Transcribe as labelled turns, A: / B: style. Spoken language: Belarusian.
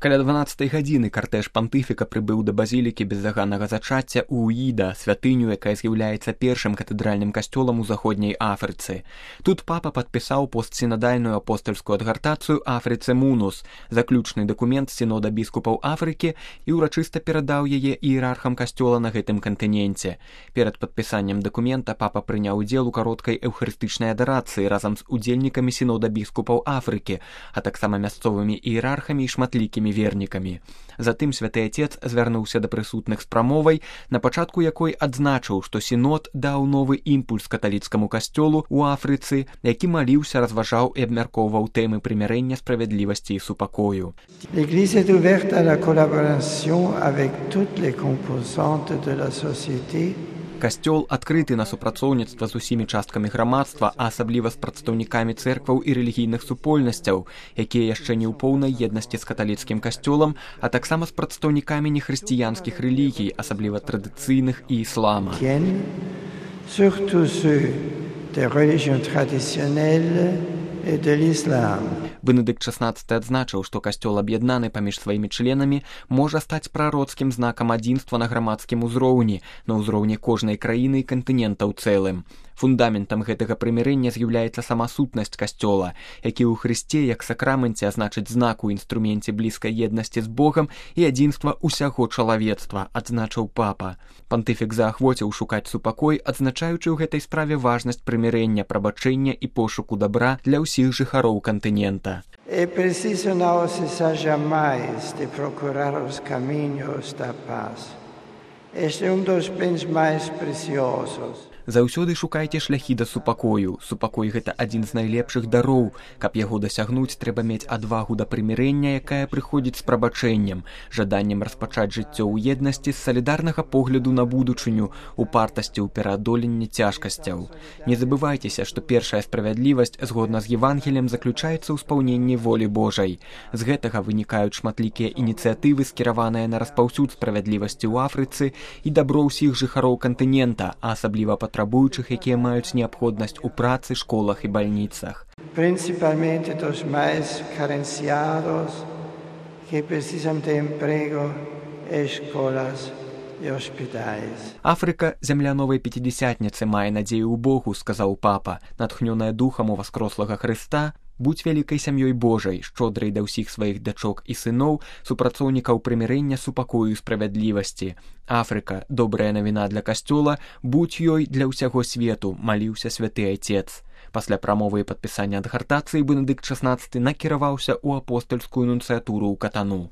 A: Каля 12 гадзіны картэж пантыфіка прыбыў да базілікі бездаганнага зачацця ў Уіда, святыню, якая з'яўляецца першым катэдральным касцёлам у заходняй Афрыцы. Тут папа падпісаў постсінадальную апостальскую адгартацыю Афрыцы Мунус, заключны дакумент сінода біскупаў Афрыкі, і ўрачыста перадаў яе іерархам касцёла на гэтым кантыненце. Перад падпісаннем дакумента папа прыняў удзел у кароткай эўхарыстычнай адарацыі разам з удзельнікамі сінода біскупаў Афрыкі, а таксама мясцовымі іерархамі і шматлікімі вернікамі. Затым святы отец звярнуўся да прысутных з прамовай, на пачатку якой адзначыў, што сінод даў новы імпульс каталіцкаму касцёлу ў Афрыцы, які маліўся, разважаў і абмяркоўваў тэмы прымірэння, справядлівасці і супакою.
B: L'Église est ouverte à la collaboration avec toutes les composantes de la société.
A: Касцёл адкрыты на супрацоўніцтва з усімі часткамі грамадства, а асабліва з прадстаўнікамі цэркваў і рэлігійных супольнасцяў, якія яшчэ не ў поўнай еднасці з каталіцкім касцёлам, а таксама з прадстаўнікамі нехрысціянскіх рэлігій, асабліва традыцыйных і іслама.
B: Surtout ceux des religions traditionnelles et de l'islam.
A: Бенедыкт XVI адзначыў, што касцёл, аб'яднаны паміж сваімі членамі, можа стаць прароцкім знакам адзінства на грамадскім узроўні, на ўзроўні кожнай краіны і кантынента ў цэлым. Фундаментам гэтага прымірэння з'яўляецца сама сутнасць касцёла, які ў Хрысце як сакраменце азначыць знак у інструменце блізкай еднасці з Богам і адзінства ўсяго чалавецтва, адзначыў папа. Пантыфік заахвоціў шукаць супакой, адзначаючы ў гэтай справе важнасць прымірэння, прабачэння і пошуку дабра для ўсіх жыхароў кантынента.
B: É preciso não cessar jamais de procurar os caminhos da paz. Este é dos bens mais preciosos.
A: Заўсёды шукайце шляхі да супакою. Супакой — гэта адзін з найлепшых дароў. Каб яго дасягнуць, трэба мець адвагу да прымірэння, якая прыходзіць з прабачэннем, жаданнем распачаць жыццё ў еднасці, з салідарнага погляду на будучыню, упартасці ў пераадоленні цяжкасцяў. Не забывайцеся, што першая справядлівасць, згодна з Евангеліем, заключаецца ў спаўненні волі Божай. З гэтага вынікаюць шматлікія ініцыятывы, скіраваныя на распаўсюд справядлівасці ў Афрыцы і дабро ўсіх жыхароў кантынента, а асабліва патрабуючых, якія маюць неабходнасць у працы, школах і бальніцах.
B: Principalmente dos mais carenciados que precisam de emprego, escolas і hospitais.
A: Афрыка, зямля новай пятидесятніцы, мае надзею ў Богу, сказаў папа, натхнёная духам уваскрослага Хрыста. Будь вялікай сям'ёй Божай, шчодрай да ўсіх сваіх дачок і сыноў, супрацоўнікаў прымірэння, супакою і справядлівасці. Афрыка, добрая навіна для касцёла, будь ёй для ўсяго свету, маліўся святы айцец. Пасля прамовы і падпісання адгартацыі Бенедыкт XVI накіраваўся ў апостальскую нунцыятуру ў Катану.